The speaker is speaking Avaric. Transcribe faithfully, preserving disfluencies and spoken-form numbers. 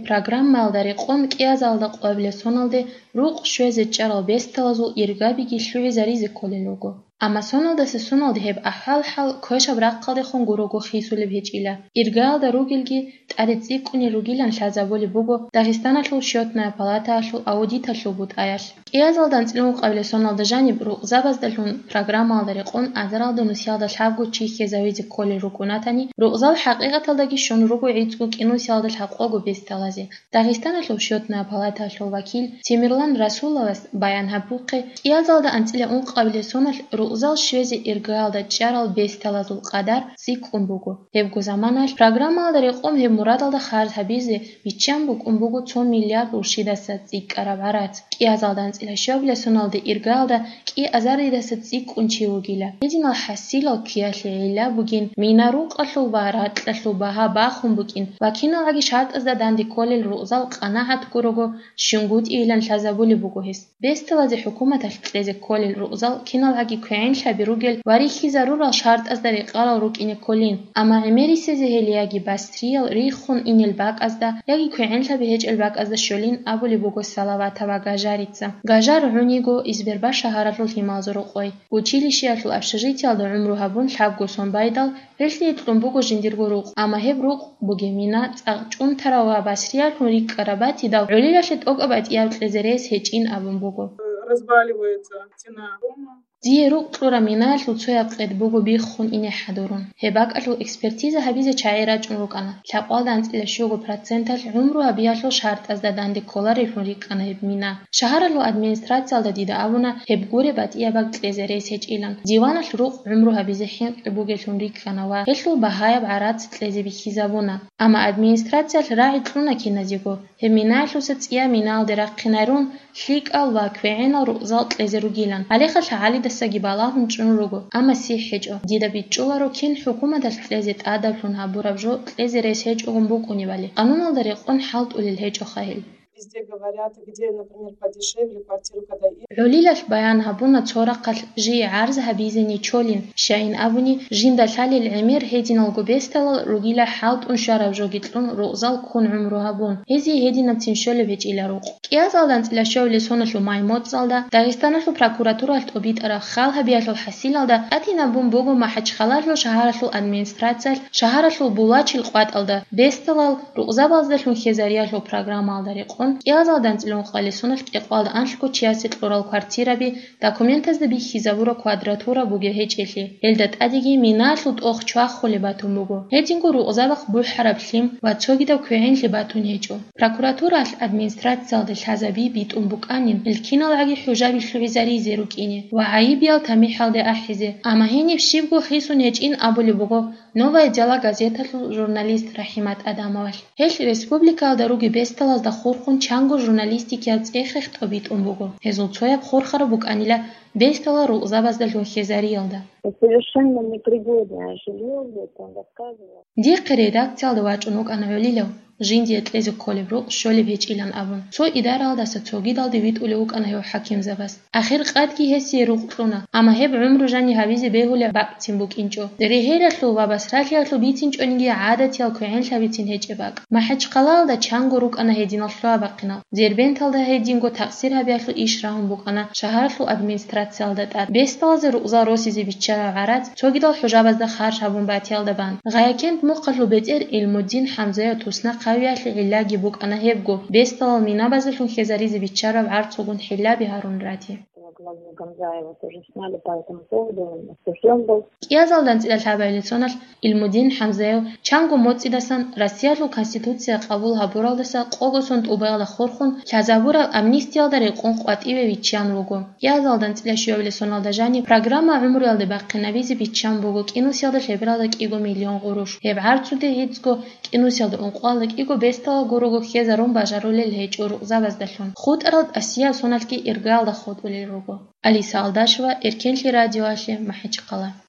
Программаялда рекъон кӀиазалда къвабилеб соналде рукъ щвезе чӀарал бесталазул иргабиги лъугӀизаризе кколел руго. Амма соналдаса соналде гьеб ахӀвал-хӀал квешаб рахъалдехун гурого хисулеб гьечӀила. Иргаялда ругелги тӀаде цӀикӀкӀунел ругилан лъазабулеб буго Дагъистаналъул счётная палатаялъул аудиталъул бутӀаялъ. КӀиазалда анцӀила ункъабилеб соналда жаниб рукъзабаздалъун программаялда рекъон азаралда нусиялда лъабго чи хьезавизе кколел рукӀунатани, рукъзал хӀакъикъаталдаги щун руго гӀицӀго кӀинусиялда лъабкъого бесталазе. Дагъистаналъул счётная палатаялъул вакил Темирлан Расуловас баян гьабухъе, кӀиазалда анцӀила ункъабилеб соналъ рукъзал щвезе иргаялда чӀарал бесталазул къадар цӀикӀкӀун буго. Гьебго заманалъ программаялда рекъон гьеб мурадалда харж гьабизе биччан букӀун буго цо миллиард уршидаса цӀикӀкӀараб гӀарац. КӀиазалда анцӀила щуабилеб соналде иргаялда кӀиазаридаса цӀикӀкӀун чи вугила. Гьединал хӀасилал ккеялъе гӀилла бугин, мина рукъалъул ва ракьалъул багьа бахун букӀин ва киналгӀаги шартӀазда данде кколел рукъзал къанагӀат гурого, щунгутӀийилан лъазабулеб буго гьес. Бесталазе хӀукуматалъ кьезе кколел рукъзал киналгӀаги квегӀенлъаби ругел ва рихьизарурал шартӀазда рекъарал рукӀине кколин, амма гӀемерисезе гьел яги басриял риххун инел бакӀазда, яги квегӀенлъаби гьечӀел бакӀазда щолин абулеб буго Салаватова Гажарица. Гажар гӀуниго Избербаш шагьаралъул Лъималзорокъой. Училищеялъул общежитиялда гӀумру гьабун лъабго сон байдал, гьелъие кьун буго жиндирго рукъ, амма гьеб рукъ бугеб мина цӀакъ чӀунтарав ва басриялъун рикӀкӀараб батидал, гӀолилалъе тӀокӀаб батӀияб кьезе рес гьечӀин абун буго. Разваливается стена дома. Дие рукъ кьураб минаялъул цояб къед буго биххун ине хӀадурун. Гьеб бакӀалъул экспертиза гьабизе чагӀи рачӀун рукӀана. Лъабкъоялда анцӀила щуго проценталъ гӀумру гьабиялъул шартӀазда данде кколаревлъун рикӀкӀана гьеб мина. Шагьаралъул администрациялда дида абуна, гьеб гуреб батӀияб бакӀ кьезе рес гьечӀилан. Диваналъ рукъ гӀумру гьабизе хӀинкъи бугевлъун рикӀкӀана ва гьелъул багьаяб гӀарац кьезе бихьизабуна. Амма администрациялъ рагӀи кьуна киназего, гьеб минаялъуса цӀияб минаялде рахъинайрун, лъикӀал ва квегӀенал рукъзал кьезе ругилан. Гьалеха лъагӀалидасаги балагьун чӀун руго, амма сихӀ гьечӀо. Дида бичӀчӀуларо кин хӀукуматалъ кьезе тӀадаблъун гьабураб жо кьезе рес гьечӀогун букӀунебали, къануналда рекъон хӀалтӀулел гьечӀоха гьел. Везде говорят, где, например, подешевле квартиру, когда и ГӀолилалъ баян гьабуна цо рахъалъ жий гӀарз гьабизе нечолин, щайин абуни, жинда лъалел гӀемер гьединалго бесталал ругила хӀалтӀун щвараб жоги кьун рукъзал ккун гӀумру гьабун, гьезие гьединабцин щолеб гьечӀила рукъ. КӀиазалда анцӀила щуабилеб соналъул май моцӀалда Дагъистаналъул прокуратуралъ тӀобитӀараб хал гьабиялъул хӀасилалда тӀатинабун буго МахӀачхъалалъул шагьаралъул администрациялъ шагьаралъул Булачил къватӀалда бесталал рукъзабаздалъун хьезариялъул программаялда рекъон, кӀиазалда анцӀила ункъабилеб соналъ кӀикъоялда анлъго чиясе кьурал квартираби, документазда бихьизабураб квадратура бугеб гьечӀелъи, гьелда тӀадеги минаялъул тӀох чвахулеб батун буго. Гьединго рукъзабахъ бухӀараб лъим ва цогидаб квегӀенлъи батун гьечӀо. Прокуратураялъ администрациялде лъазаби битӀун букӀанин, гьел киналгӀаги хӀужаби лъугӀизаризе рукӀине ва гӀайибиял тамихӀалде ахӀизе, амма гьениб щибго хисун гьечӀин абулеб буго «Новое дело» газеталъул журналист РахӀимат Адамовалъ. Гьелъ республикаялда ругеб бесталазда хурхун чанго журналистикияб цӀех-хех тӀобитӀун буго. Гьезул цояб хурхараб букӀанила бесталал рукъзабаздалъун хьезариялда. Совершенно непригодное жильё, вот он рассказывал. Дихъе редакциялда вачӀун вукӀана гӀолилав, жиндие кьезе кколеб рукъ щолеб гьечӀилан абун. Цо идараялдаса цогидалде витӀулев вукӀана гьев хӀакимзабаз. Ахир къадги гьесие рукъ кьуна, амма гьеб гӀумру жани гьабизе бегьулеб бакӀцин букӀинчӀо. Регьелалъул ва басралъиялъул бицинчӀониги гӀадатиял квегӀенлъабицин гьечӀеб бакӀ. МахӀачхъалаялда чанго рукӀана гьединал лъугьа-бахъинал. Дербенталда гьединго такъсир гьабиялъул иш рагьун букӀана шагьаралъул администрациялда тӀад. Бесталазе рукъзал росизе биччараб гӀарац цогидал хӀужабазда харж гьабун батиялда бан. Гъаякент мухъалъул бетӀер Илмудин ХӀамзаев туснахъ гьавиялъе гӀиллаги букӀана гьебго, бесталал минабазелъун хьезаризе биччараб гӀарцугун хӀиллаби гьарун рати. Главного Гамзаева тоже сняли по этому поводу, он осуждён был. КӀиазалда анцӀила лъабабилеб соналъ Илмудин ХӀамзаев чанго моцӀидасан Россиялъул Конституция къабул гьабуралдаса къого сон тӀубаялда хурхун лъазабураб амнистиялда рекъон къватӀиве виччан вуго. КӀиазалда анцӀила щуабилеб соналда жаниб программа гӀумруялде бахъинабизе биччан буго кӀинусиялда лъебералда кӀиго миллион гъурущ. Гьеб гӀарцуде гьецӀго кӀинусиялда ункъоялда кӀиго бесталал гурого хьезарун бажарулел гьечӀо рукъзабаздалъун. ХутӀарал тӀасияб соналъги иргаялда хутӀулел руго. Алиса Алдашева, Эркенлъи радиоялъе, МахӀачхъала.